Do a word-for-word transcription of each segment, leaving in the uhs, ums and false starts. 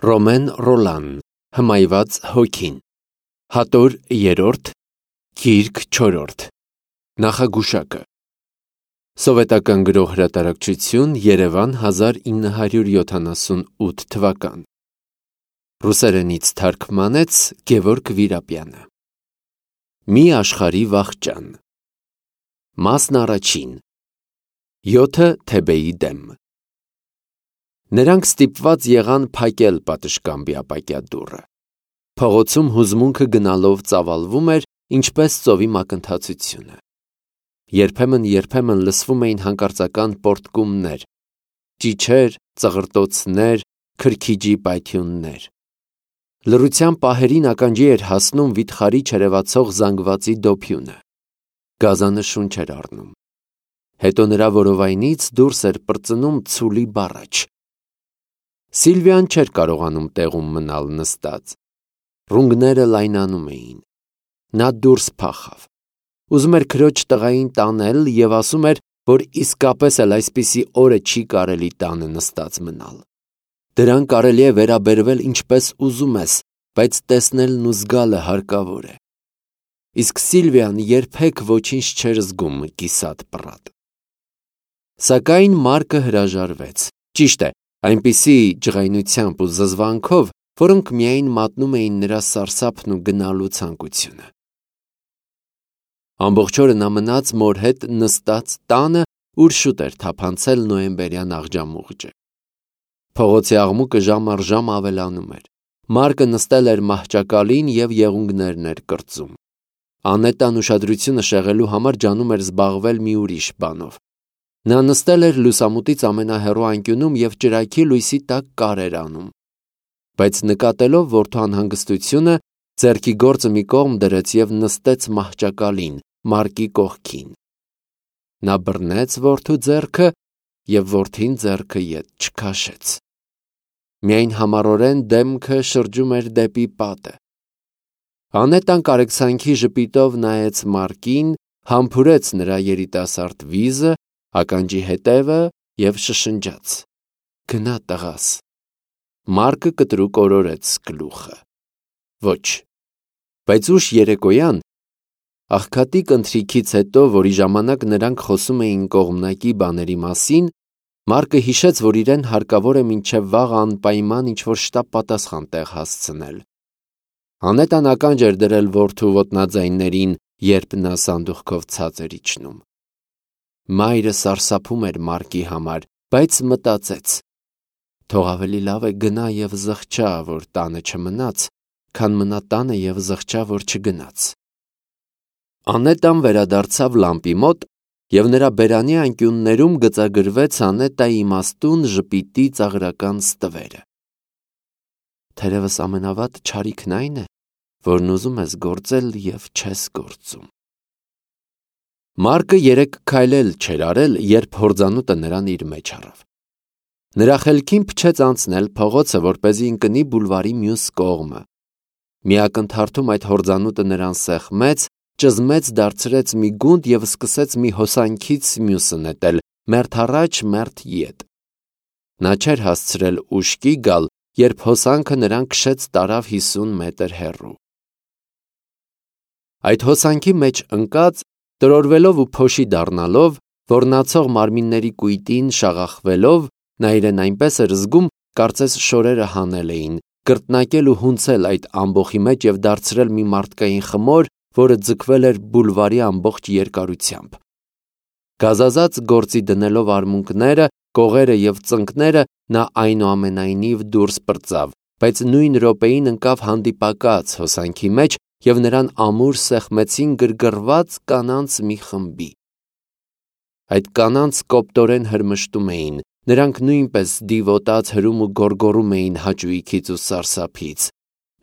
Ռոմեն Ռոլան, Հմայված հոգին, Հատոր երրորդ, Գիրք չորրորդ, Նախագուշակը, Սովետական գրող հրատարակչություն, Երևան, հազար ինը հարյուր յոթանասունութ թվական, Ռուսերենից թարգմանեց Գևորգ Վիրապյանը։ Մի աշխարհի վախճան, Մասն առաջին, Յոթը Թեբեի դեմ։ Նրանք ստիպված եղան փակել պատշգամբի ապակյա դուռը։ Փողոցում հուզմունքը գնալով ծավալվում էր, ինչպես ծովի մակընթացությունը։ Երբեմն-երբեմն լսվում էին հանկարծական պոռթկումներ, ճիչեր, ծղրտոցներ, քրքիջի պայթյուններ։ Լռության պահերին ականջի էր հասնում վիթխարի չերևացող զանգվածի դոփյունը։ Գազանը շունչ էր առնում։ Հետո նրա որովայնից դուրս էր պրծնում ցուլի բառաչ։ Սիլվիան չէր կարողանում տեղում մնալ նստած։ Ռունգները լայնանում էին։ Նա դուրս փախավ։ Ուզում էր քրոջ տղային տանել և ասում էր, որ իսկապես էլ այսպիսի օրը չի կարելի տանը նստած մնալ։ Դրան կարելի է վերաբերվել ինչպես ուզում ես, բայց տեսնելն ու զգալը հարկավոր է։ Իսկ Սիլվիան երբեք ոչինչ չէր զգում կիսատ պռատ։ Սակայն Մարկը հրաժարվեց։ Ճիշտ է, այնպիսի ջղայնությամբ ու զզվանքով, որոնք միայն մատնում էին նրա սարսափն ու գնալու ցանկությունը։ Ամբողջ օրը նա մնաց մոր հետ նստած տանը, ուր շուտ էր թափանցել նոյեմբերյան աղջամուղջը։ Փողոցի աղմուկը ժամ առ ժամ ավելանում էր։ Մարկը նստել էր մահճակալին և եղունգներն էր կրծում։ Անետան ուշադրությունը շեղելու համար ջանում էր զբաղվել մի ուրիշ բանով։ Նա նստել էր լուսամուտից ամենահեռու անկյունում և ճրագի լույսի տակ կարեր անում։ Բայց նկատելով որդու անհանգստությունը, ձեռքի գործը մի կողմ դրեց և նստեց մահճակալին, Մարկի կողքին։ Նա բռնեց որդու ձեռքը և որդին ձեռքը ետ չքաշեց։ Միայն համառորեն դեմքը շրջում էր դեպի պատը։ Անետան կարեկցանքի ժպիտով նայեց Մարկին, համբուրեց նրա երիտասարդ վիզը, ականջի հետևը և շշնջաց. «Գնա, տղաս»։ Մարկը կտրուկ օրորեց գլուխը. «Ոչ»։ Բայց ուշ երեկոյան, աղքատիկ ընթրիքից հետո, որի ժամանակ նրանք խոսում էին կողմնակի բաների մասին, Մարկը հիշեց, որ իրեն հարկավոր է մինչև վաղը անպայման ինչ-որ շտապ պատասխան տեղ հասցնել։ Անետան ականջ էր դրել որդու ոտնաձայններին, երբ նա սանդուղքով ցած էր իջնում։ Մայրը սարսափում էր Մարկի համար, բայց մտածեց. թող ավելի լավ է գնա և զղջա, որ տանը չմնաց, քան մնա տանը և զղջա, որ չգնաց։ Անետան վերադարձավ լամպի մոտ, և նրա բերանի անկյուններում գծագրվեց Անետայի իմաստուն ժպիտի ծաղրական ստվերը։ Թերևս ամենավատ չարիքն այն է, որն ուզում ես գործել և չես գործում։ Մարկը երեք քայլ էլ չէր արել, երբ հորձանուտը նրան իր մեջ առավ։ Նրա խելքին փչեց անցնել փողոցը, որպեսզի ընկնի բուլվարի մյուս կողմը։ Մի ակնթարթում այդ հորձանուտը նրան սեղմեց, ճզմեց դարձրեց մի գունդ և սկսեց մի հոսանքից մյուսը նետել, մերթ առաջ, մերթ ետ։ Նա չէր հասցրել ուշքի գալ, երբ հոսանքը նրան քշեց տարավ հիսուն մետր հեռու։ Այդ հոսանքի մեջ ընկած, տրորվելով ու փոշի դառնալով, ոռնացող մարմինների կույտին շաղախվելով, նա իրեն այնպես էր զգում, կարծես շորերը հանել էին, կրկնակել ու հունցել այդ ամբոխի մեջ և դարձրել մի մարդկային խմոր, որը ձգվել էր բուլվարի ամբողջ երկարությամբ։ Գազազած գործի դնելով արմունկները, կողերը և ծնկները, նա այնուամենայնիվ դուրս պրծավ, բայց նույն րոպեին ընկավ հանդիպակաց հոսանքի մեջ, և նրան ամուր սեղմեցին գրգռված կանանց մի խմբի։ Այդ կանանց կոպտորեն հրմշտում էին, նրանք նույնպես դիվոտած հրում ու գոռգոռում էին հաճույքից ու սարսափից։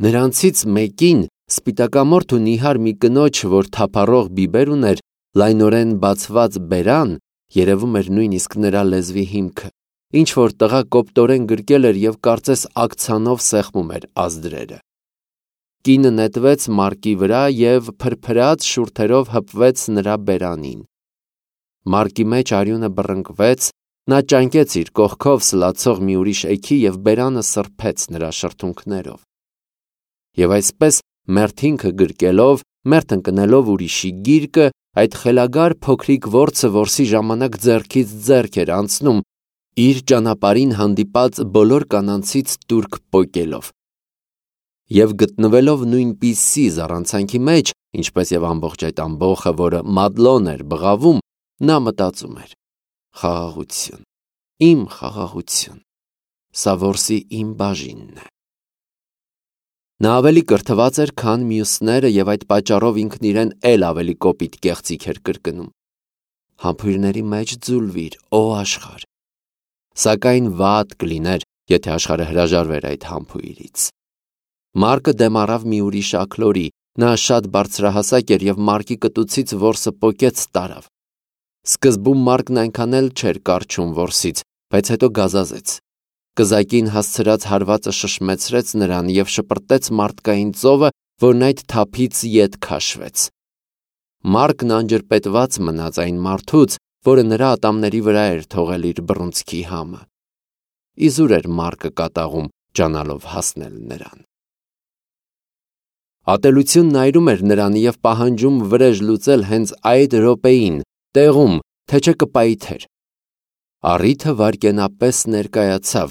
Նրանցից մեկին, սպիտակամորթ ու նիհար մի կնոջ, որ թափառող բիբեր ուներ, լայնորեն բացված բերան, երևում էր նույնիսկ նրա լեզվի հիմքը, ինչ-որ տղա կոպտորեն գրկել էր և կարծես աքցանով սեղմում էր ազդրերը։ Կինը նետվեց Մարկի վրա և փրփրած շուրթերով հպվեց նրա բերանին։ Մարկի մեջ արյունը բռնկվեց, Նա ճանկեց իր կողքով սլացող մի ուրիշ էգի և բերանը սրբեց նրա շրթունքներով։ Եվ այսպես մերթինքը գրկելով, մերթ ընկնելով ուրիշի գիրկը, այդ խելագար փոքրիկ որցը որսի ժամանակ ձեռքից ձեռք էր անցնում, իր ճանապարհին հանդիպած բոլոր կանանցից տուրք պոկելով։ Եվ գտնվելով նույնպիսի զառանցանքի մեջ, ինչպես և ամբողջ այդ ամբոխը, որը Մադլոն էր բղավում, նա մտածում էր. խաղաղություն, իմ խաղաղություն, սա որսի իմ բաժինն է։ Նա ավելի կրթված էր, քան մյուսները, և այդ պատճառով ինքն իրեն էլ ավելի կոպիտ կեղծիք էր կրկնում. համբույրների մեջ ձուլվիր, օ աշխարհ։ Սակայն վատ կլիներ, եթե աշխարհը հրաժարվեր այդ համբույրից։ Մարկը դեմ առավ մի ուրիշ աքլորի, նա շատ բարձրահասակ էր և մարկի կտուցից որսը պոկեց տարավ։ Սկզբում Մարկն այնքան էլ չէր կառչում որսից, բայց հետո գազազեց։ Կզակին հասցրած հարվածը շշմեցրեց նրան և շպրտեց մարդկային ծովը, որն այդ թափից ետ քաշվեց։ Մարկն անջրպետված մնաց այն մարդուց, որը նրա ատամների վրա էր թողել իր բռունցքի համը։ Իզուր էր Մարկը կատաղում, ջանալով հասնել նրան։ Ատելությունն այրում էր նրան և պահանջում վրեժ լուծել հենց այդ րոպեին, տեղում, թե չէ կպայթեր։ Առիթը վայրկենապես ներկայացավ,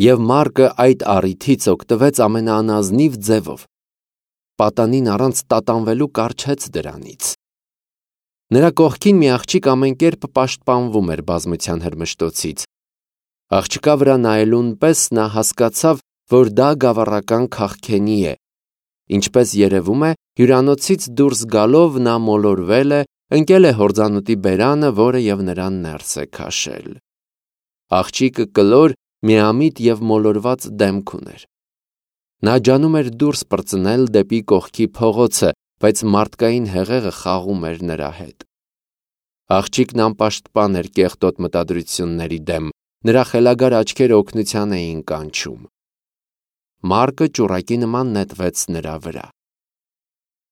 և Մարկը այդ առիթից օգտվեց ամենաանազնիվ ձևով։ Պատանին առանց տատանվելու կառչեց դրանից։ Նրա կողքին մի աղջիկ ամեն կերպ պաշտպանվում էր բազմության հրմշտոցից։ Աղջկա վրա նայելուն պես նա հասկացավ, որ դա գավառական քաղքենի է։ Ինչպես երևում է, հյուրանոցից դուրս գալով նա մոլորվել է, ընկել է հորձանուտի բերանը, որը և նրան ներս է քաշել։ Աղջիկը կլոր, միամիտ և մոլորված դեմք ուներ։ Նա ջանում էր դուրս պրծնել դեպի կողքի փողոցը, բայց մարդկային հեղեղը խաղում էր նրա հետ։ Աղջիկն անպաշտպան էր կեղտոտ մտադրությունների դեմ, նրա խելագար աչքերը օգնության էին կանչում։ Մարկը ճուռակի նման նետվեց նրա վրա։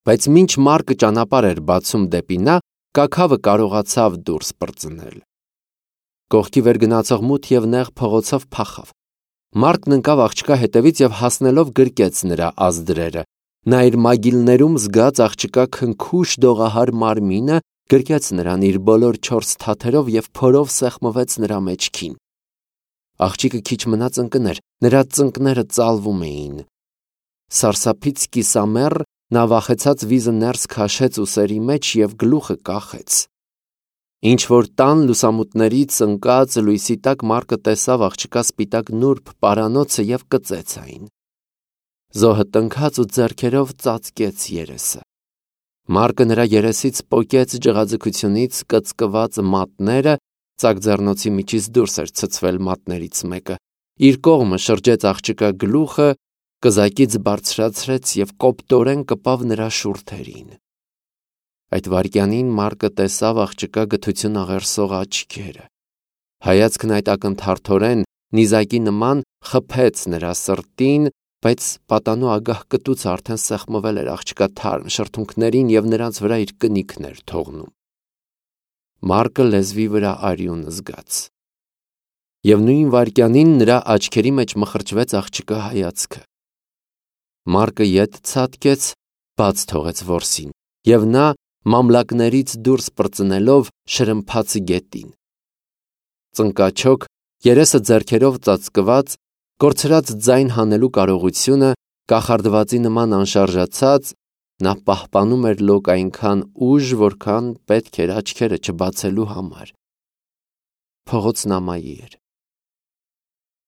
Բայց մինչ Մարկը ճանապարհ էր բացում դեպի նա, կաքավը կարողացավ դուրս պրծնել։ Կողքի վեր գնացող մութ և նեղ փողոցով փախավ։ Մարկն ընկավ աղջկա հետևից և հասնելով գրկեց նրա ազդրերը։ Նա իր մագիլներում զգաց աղջկա քնքուշ դողահար մարմինը, գրկեց նրան իր բոլոր չորս թաթերով և փորով սեղմվեց նրա մեջքին։ Աղջիկը քիչ մնաց ընկներ, նրա ծնկները ծալվում էին։ Սարսափից կիսամեռ նա վախեցած վիզը ներս քաշեց ուսերի մեջ և գլուխը կախեց։ Ինչ-որ տան լուսամուտներից ընկած լույսի տակ Մարկը տեսավ աղջկա սպիտակ նուրբ պարանոցը և կծեց այն։ Զոհը տնքաց ու ձեռքերով ծածկեց երեսը։ Մարկը նրա երեսից պոկեց ջղաձգությունից կծկված մատները, ծակձեռնոցի միջից դուրս էր ցցվել մատներից մեկը, իր կողմը շրջեց աղջկա գլուխը, կզակից բարձրացրեց և կոպտորեն կպավ նրա շուրթերին։ Այդ վայրկյանին Մարկը տեսավ աղջկա գթություն աղերսող աչքերը։ Հայացքն այդ ակնթարթորեն, նիզակի նման խփեց նրա սրտին, բայց պատանու ագահ կտուցը արդեն սեղմվել էր աղջկա թարմ շրթունքներին և նրանց վրա իր կնիքն էր թողնում։ Մարկը լեզվի վրա արյուն զգաց։ Եվ նույն վայրկյանին նրա աչքերի մեջ մխրճվեց աղջկա հայացքը։ Մարկը ետ ցատկեց, բաց թողեց որսին, և նա մամլակներից դուրս պրծնելով շրմփաց գետին։ Ծնկաչոք, երեսը ձեռքերով ծածկված, կորցրած ձայն հանելու կարողությունը, կախարդվածի նման անշարժացած, նա պահպանում էր լոկ այնքան ուժ, որքան պետք էր աչքերը չբացելու համար։ Փողոցն ամայի էր։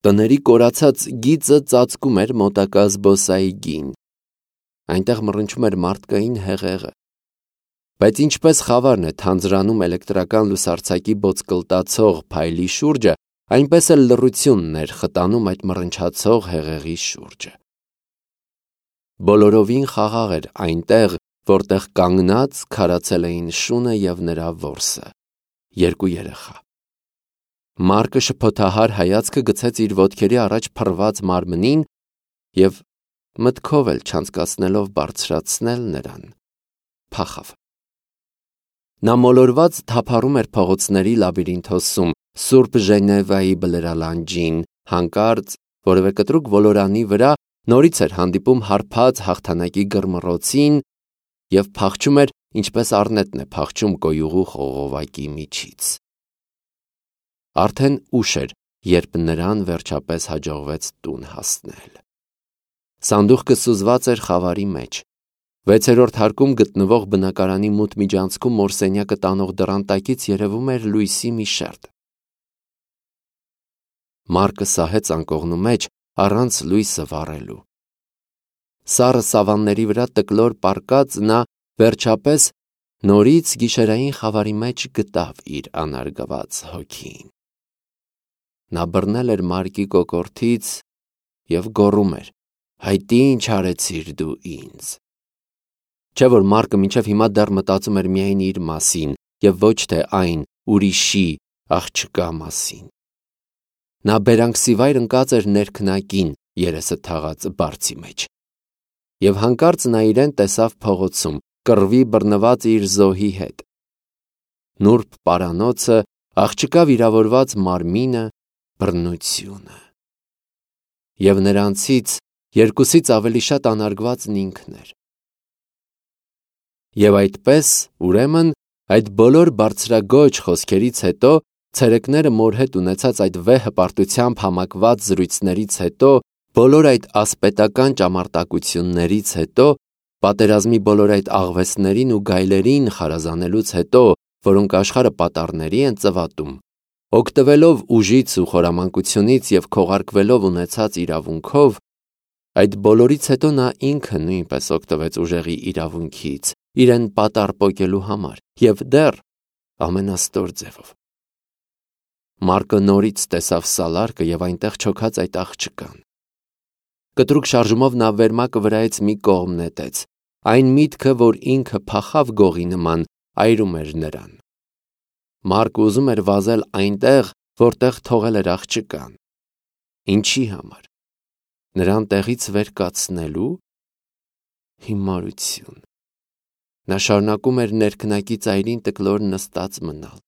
Տների կորացած գիծը ծածկում էր մոտակա զբոսայգին։ Այնտեղ մռնչում էր մարդկային հեղեղը։ Բայց ինչպես խավարն է թանձրանում էլեկտրական լուսարձակի բոցկլտացող փայլի շուրջը, այնպես էլ լռությունն էր խտանում այդ մռնչացող հեղեղի շուրջը։ Բոլորովին խաղաղ էր այնտեղ, որտեղ կանգնած քարացել էին շունը և նրա որսը՝ երկու երեխա։ Մարկը շփոթահար հայացքը գցեց իր ոտքերի առաջ փռված մարմնին և, մտքով էլ չանցկացնելով բարձրացնել նրան, փախավ։ Նա մոլորված թափառում էր փողոցների լաբիրինթոսում, Սուրբ Ժենևայի բլրալանջին, հանկարծ որևէ կտրուկ ոլորանի վրա նորից էր հանդիպում հարբած հաղթանակի գրմռոցին և փախչում էր, ինչպես առնետն է փախչում կոյուղու խողովակի միջից։ Արդեն ուշ էր, երբ նրան վերջապես հաջողվեց տուն հասնել։ Սանդուղքը սուզված էր խավարի մեջ։ Վեցերորդ հարկում գտնվող բնակարանի մութ միջանցքում մորսենյակը տանող դռան տակից երևում էր լույսի մի շերտ։ Մարկը սահեց անկողնու մեջ առանց լույսը վառելու։ Սառը սավանների վրա տկլոր պառկած նա վերջապես նորից գիշերային խավարի մեջ գտավ իր անարգված հոգին։ Նա բռնել էր Մարկի կոկորդից և գոռում էր. «Հայտ ինչ արեցիր դու ինձ»։ Չէ՞ որ Մարկը մինչև հիմա դեռ մտածում էր միայն իր մասին և ոչ թե այն ուրիշի աղջկա մասին։ Նա բերանքսիվայր ընկած էր ներքնակին երեսը թաղած բարձի մեջ։ Եվ հանկարծ նա իրեն տեսավ փողոցում, կռվի բռնված իր զոհի հետ։ Նուրբ պարանոցը, աղջկա վիրավորված մարմինը, բռնությունը։ Եվ նրանցից երկուսից ավելի շատ անարգվածն ինքն էր։ Եվ այդպես, ուրեմն, այդ բոլոր բարձրագոյչ խոսքերից հետո, ցերեկները մոր հետ ունեցած այդ վեհ հպարտությամբ համակված զրույցներից հետո, բոլոր այդ ասպետական ճամարտակություններից հետո, պատերազմի բոլոր այդ աղվեսներին ու գայլերին խարազանելուց հետո, որոնք աշխարհը պատառների են ծվատում, օգտվելով ուժից ու խորամանկությունից և քողարկվելով ունեցած իրավունքով, այդ բոլորից հետո նա ինքը նույնպես օգտվեց ուժեղի իրավունքից, իրեն պատառ պոկելու համար և դեռ ամենաստոր ձևով։ Մարկը նորից տեսավ սալարկը և այնտեղ չոքած այդ աղջկան։ Կտրուկ շարժումով նա վերմակը վրայից մի կողմ նետեց։ Այն միտքը, որ ինքը փախավ գողի նման, այրում էր նրան։ Մարկը ուզում էր վազել այնտեղ, որտեղ թողել էր աղջկան։ Ինչի համար։ Նրան տեղից վեր կացնելու։ Հիմարություն։ Նա շարունակում էր ներքնակի ծայրին տկլոր նստած մնալ։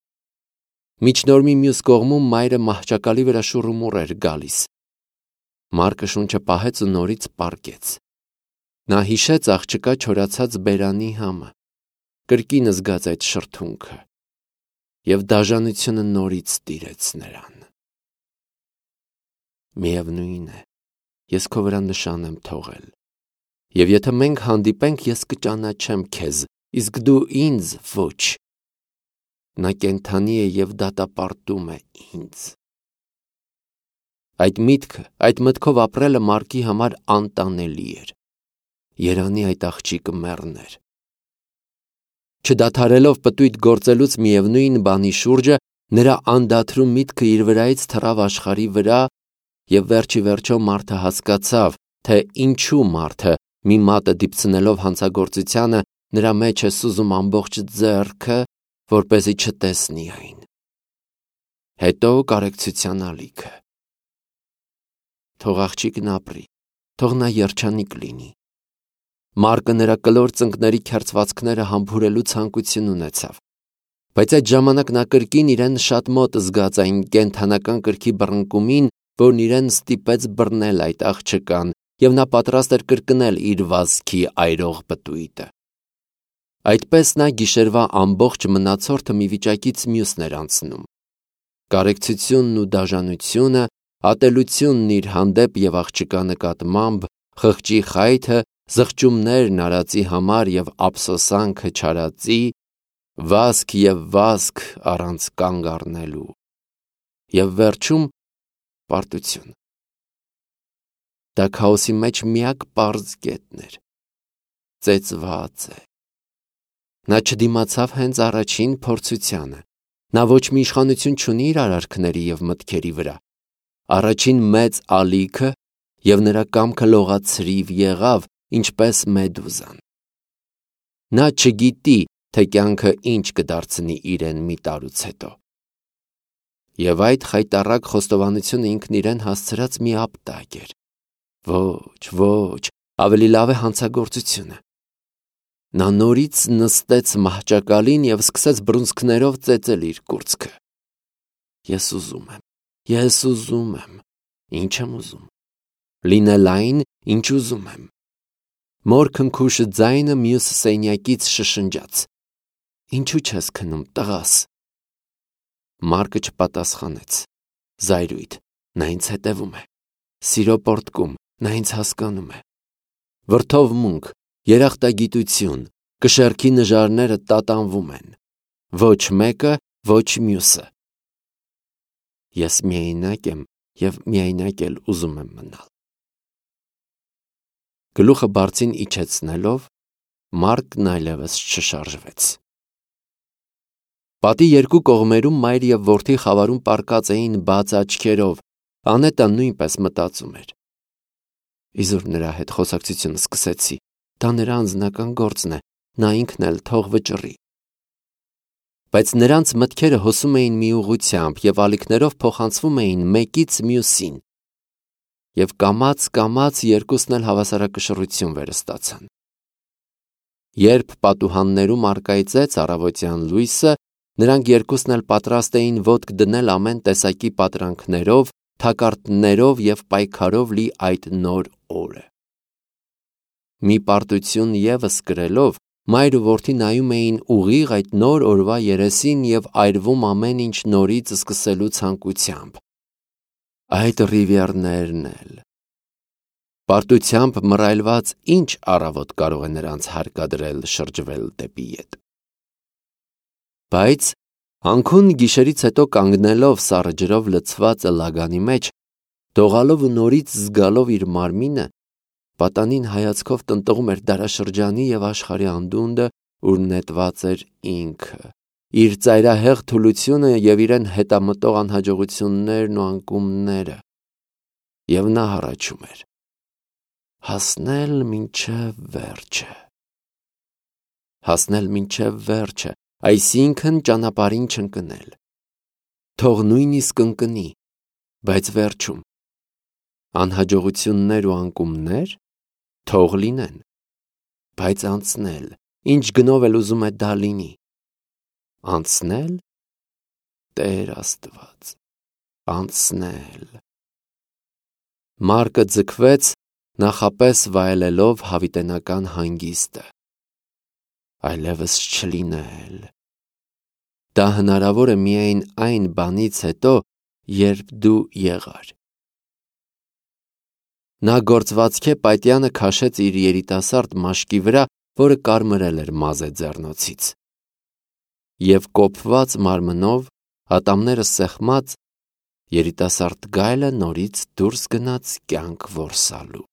Միջնորմի մյուս կողմում մայրը մահճակալի վրա շուռումուռ էր գալիս։ Մարկը շունչը պահեց ու նորից պառկեց։ Նա հիշեց աղջկա չորացած բերանի համը, կրկին զգաց այդ շրթունքը, և դաժանությունը նորից տիրեց նրան։ Միևնույն է, ես քո վրա նշան եմ թողել, և եթե մենք հանդիպենք, ես կճանաչեմ քեզ, իսկ դու ինձ ոչ։ Նա կենդանի է և դատապարտում է ինձ։ Այդ միտքը, այդ մտքով ապրելը Մարկի համար անտանելի էր։ Երանի այդ աղջիկը մեռներ։ Չդադարելով պտույտ գործելուց միևնույն բանի շուրջը, նրա անդադրու միտքը իր վրայից թռավ աշխարհի վրա, և վերջի վերջո մարդը հասկացավ, թե ինչու մարդը, մի մատը դիպցնելով հանցագործությանը, նրա մեջ է սուզում ամբողջ ձեռքը, որպեսզի չտեսնի այն։ Հետո կարեկցության ալիքը։ Թող աղջիկն ապրի, թող նա երջանիկ լինի։ Մարկը նրա կլոր ծնկների քերծվածքները համբուրելու ցանկություն ունեցավ, բայց այդ ժամանակ նա կրկին իրեն շատ մոտ զգաց այն կենդանական կրքի բռնկումին, որն իրեն ստիպեց բռնել այդ աղջկան, և նա պատրաստ էր կրկնել իր վազքի այրող պտույտը։ Այդպես նա գիշերվա ամբողջ մնացորդը մի վիճակից մյուսն էր անցնում։ Կարեկցությունն ու դաժանությունը, ատելությունն իր հանդեպ և աղջկա նկատմամբ, խղճի խայթը, զղջումներն արածի համար և ափսոսանքը չարածի, վազք և վազք առանց կանգ առնելու, և վերջում պարտություն։ Դա քաոսի մեջ միակ պարզ կետն էր։ Ծեծված է։ Նա չդիմացավ հենց առաջին փորձությանը։ Նա ոչ մի իշխանություն չունի իր արարքների և մտքերի վրա։ Առաջին մեծ ալիքը, և նրա կամքը լողացրիվ եղավ, ինչպես Մեդուզան։ Նա չգիտի, թե կյանքը ինչ կդարձնի իրեն մի տարուց հետո։ Եվ այդ խայտառակ խոստովանությունը ինքն իրեն հասցրած մի ապտակ էր։ Ոչ, ոչ, ավելի լավ է հանցագործությունը։ Նա նորից նստեց մահճակալին և սկսեց բռունցքներով ծեծել իր կուրծքը։ Ես ուզում եմ, ես ուզում եմ, ինչ եմ ուզում, լինել այն, ինչ ուզում եմ։ Մոր քնքուշը ձայնը մյուս սենյակից շշնջաց. Ինչու չես քնում, տղաս։ Մարկը չպատասխանեց։ Զայրույթ, նա ինձ հետևում է։ Սիրո պոռթկում, նա ինձ հասկանում է։ Վրդովմունք, երախտագիտություն, կշեռքի նժարները տատանվում են։ Ոչ մեկը, ոչ մյուսը։ Ես միայնակ եմ և միայնակ էլ ուզում եմ մնալ։ Գլուխը բարձին իջեցնելով, Մարկն այլևս չշարժվեց։ Պատի երկու կողմերում մայր և որդի խավարում պառկած էին բաց աչքերով, Անետան նույնպես մտածում էր։ Իզուր նրա հետ խոսակցություն սկսեցի, դա նրա անձնական գործն է, նա ինքն էլ թող վճռի։ Բայց նրանց մտքերը հոսում էին մի ուղղությամբ և ալիքներով փոխանցվում էին մեկից մյուսին, և կամաց-կամաց երկուսն էլ հավասարակշռություն վերստացան։ Երբ պատուհաններում առկայծեց առավոտյան լույսը, նրանք երկուսն էլ պատրաստ էին ոտք դնել ամեն տեսակի պատրանքներով, թակարդներով և պայքարով լի այդ նոր օրը։ Մի պարտություն ևս կրելով, մայր ու որդի նայում էին ուղիղ այդ նոր օրվա երեսին և այրվում ամեն ինչ նորից սկսելու ցանկությամբ։ Այդ ռիվիեռներն էլ։ Պարտությամբ մռայլված ինչ առավոտ կարող է նրանց հարկադրել շրջվել դեպի ետ։ Բայց անքուն գիշերից հետո կանգնելով սառը ջրով լցված ըլլագանի մեջ, դողալով ու նորից զգալով իր մարմինը, պատանին հայացքով տնտղում էր դարաշրջանի և աշխարհի անդունդը, ուր նետված էր ինքը, իր ծայրահեղ թուլությունը և իրեն հետամտող անհաջողություններն ու անկումները, և նա հառաչում էր. հասնել մինչև վերջը։ Հասնել մինչև վերջը, այսինքն ճանապարհին չընկնել։ Թող նույնիսկ ընկնի, բայց վերջում։ Անհաջողություններ ու անկումներ, թող լինեն, բայց անցնել, ինչ գնով էլ ուզում է դա լինի։ Անցնել, Տեր Աստված, անցնել։ Մարկը ձգվեց, նախապես վայելելով հավիտենական հանգիստը։ Այլևս չլինել։ Դա հնարավոր է միայն այն բանից հետո, երբ դու եղար։ Նա գործվածքե պատյանը քաշեց իր երիտասարդ մաշկի վրա, որը կարմրել էր մազե ձեռնոցից։ Եվ կոփված մարմնով, ատամները սեղմած, երիտասարդ գայլը նորից դուրս գնաց կյանք որսալու։